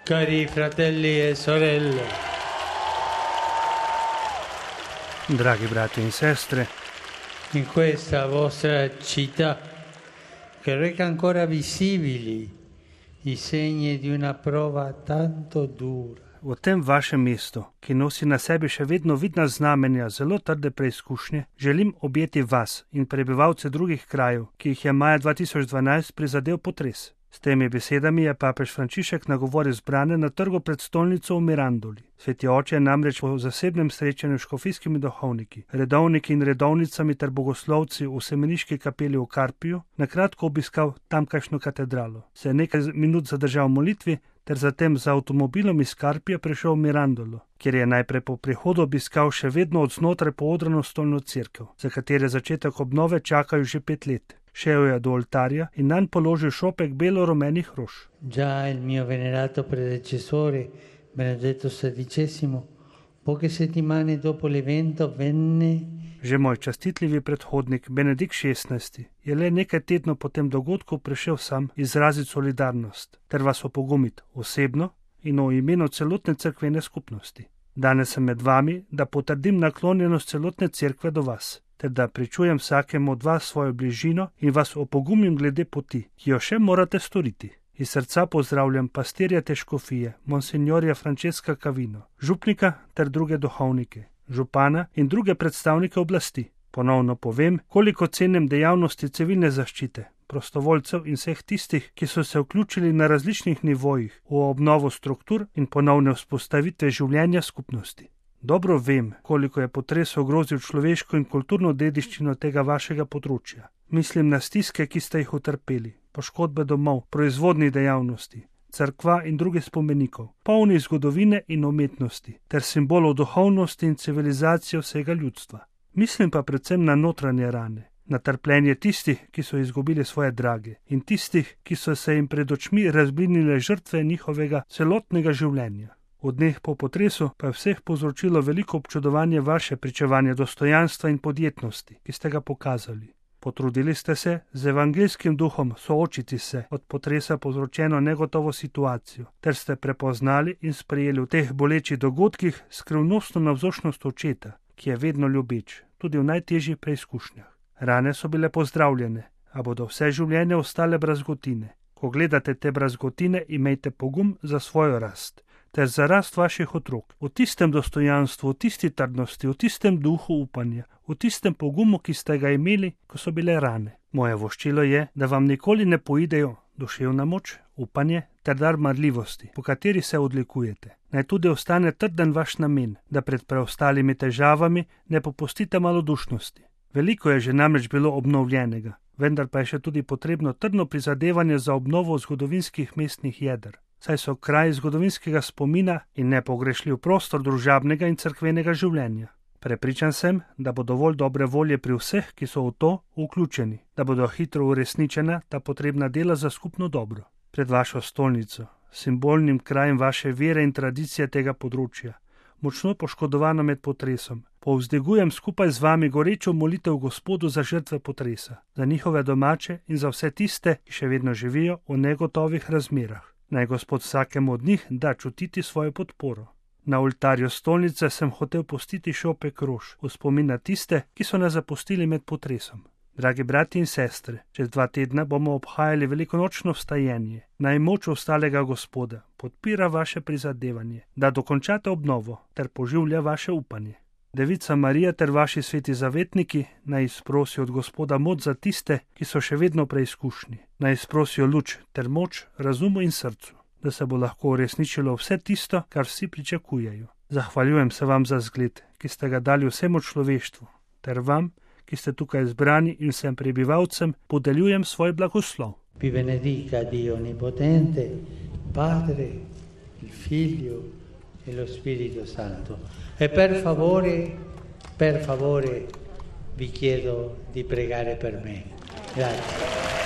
Cari fratelli e sorelle, Dragi brati in sestre, in questa vostra città che reca ancora visibili i segni di una prova tanto dura, v tem vašem mestu, ki nosi na sebi še vedno vidna znamenja zelo trde preizkušnje, želim objeti vas in prebivalce drugih krajev, ki jih je maja 2012 prizadel potres. S temi besedami je papež Frančišek nagovoril zbrane na trgu pred stolnico v Mirandoli. Sveti oče je namreč po zasebnem srečanju s škofijskimi duhovniki, redovniki in redovnicami ter bogoslovci v semeniški kapeli v Karpiju na kratko obiskal tamkajšnjo katedralo. Se je nekaj minut zadržal v molitvi ter zatem z avtomobilom iz Karpija prišel v Mirandolo, kjer je najprej po prihodu obiskal še vedno od znotraj poodrano stolno cerkev, za katere začetek obnove čakajo že 5 let. Šel je do oltarja in nanj položil šopek belo-rumenih rož. Già il mio venerato predecessore, Benedetto XVI, poche settimane dopo l'evento venne. Že moj častitljivi predhodnik, Benedikt XVI, je le nekaj tednov po tem dogodku prišel sam izraziti solidarnost ter vas opogumiti osebno in v imenu celotne cerkvene skupnosti. Danes sem med vami, da potrdim naklonjenost celotne cerkve do vas, ter da pričujem vsakemu od vas svojo bližino in vas opogumim glede poti, ki jo še morate storiti. Iz srca pozdravljam pastirja te škofije, monsignorja Francesca Cavino, župnika ter druge duhovnike, župana in druge predstavnike oblasti. Ponovno povem, koliko cenim dejavnosti civilne zaščite, prostovoljcev in vseh tistih, ki so se vključili na različnih nivojih v obnovo struktur in ponovne vzpostavitve življenja skupnosti. Dobro vem, koliko je potres ogrozil človeško in kulturno dediščino tega vašega področja. Mislim na stiske, ki ste jih utrpeli, poškodbe domov, proizvodnih dejavnosti, cerkva in drugih spomenikov, polni zgodovine in umetnosti, ter simbolov duhovnosti in civilizacije vsega ljudstva. Mislim pa predvsem na notranje rane, na trpljenje tistih, ki so izgubili svoje drage, in tistih, ki so se jim pred očmi razblinile žrtve njihovega celotnega življenja. V dneh po potresu pa je vseh povzročilo veliko občudovanje vaše pričevanje dostojanstva in podjetnosti, ki ste ga pokazali. Potrudili ste se z evangeljskim duhom soočiti se od potresa povzročeno negotovo situacijo, ter ste prepoznali in sprejeli v teh bolečih dogodkih skrivnostno navzočnost očeta, ki je vedno ljubeč, tudi v najtežjih preizkušnjah. Rane so bile pozdravljene, a bodo vse življenje ostale brazgotine. Ko gledate te brazgotine, imejte pogum za svojo rast ter za rast vaših otrok, v tistem dostojanstvu, v tisti trdnosti, v tistem duhu upanja, v tistem pogumu, ki ste ga imeli, ko so bile rane. Moje voščilo je, da vam nikoli ne poidejo duševna moč, upanje ter dar marljivosti, po kateri se odlikujete. Naj tudi ostane trden vaš namen, da pred preostalimi težavami ne popustite malodušnosti. Veliko je že namreč bilo obnovljenega, vendar pa je še tudi potrebno trdno prizadevanje za obnovo zgodovinskih mestnih jeder, saj so kraj zgodovinskega spomina in nepogrešljiv prostor družabnega in cerkvenega življenja. Prepričan sem, da bo dovolj dobre volje pri vseh, ki so v to vključeni, da bodo hitro uresničena ta potrebna dela za skupno dobro. Pred vašo stolnico, simbolnim krajem vaše vere in tradicije tega področja, močno poškodovano med potresom, povzdegujem skupaj z vami gorečo molitev Gospodu za žrtve potresa, za njihove domače in za vse tiste, ki še vedno živijo v negotovih razmerah. Naj Gospod vsakemu od njih da čutiti svojo podporo. Na oltarju stolnice sem hotel pustiti šopek rož v spomin na tiste, ki so nas zapustili med potresom. Dragi brati in sestre, čez 2 tedna bomo obhajali velikonočno vstajenje. Naj moč ostalega Gospoda podpira vaše prizadevanje, da dokončate obnovo ter poživlja vaše upanje. Devica Marija ter vaši sveti zavetniki naj izprosijo od Gospoda moč za tiste, ki so še vedno preizkušni. Naj izprosijo luč ter moč razumu in srcu, da se bo lahko uresničilo vse tisto, kar vsi pričakujejo. Zahvaljujem se vam za zgled, ki ste ga dali vsemu človeštvu, ter vam, ki ste tukaj zbrani, in vsem prebivalcem podeljujem svoj blagoslov. Vi benedica Dio Onnipotente, Padre, il Figlio e lo Spirito Santo. E per favore, vi chiedo di pregare per me. Grazie.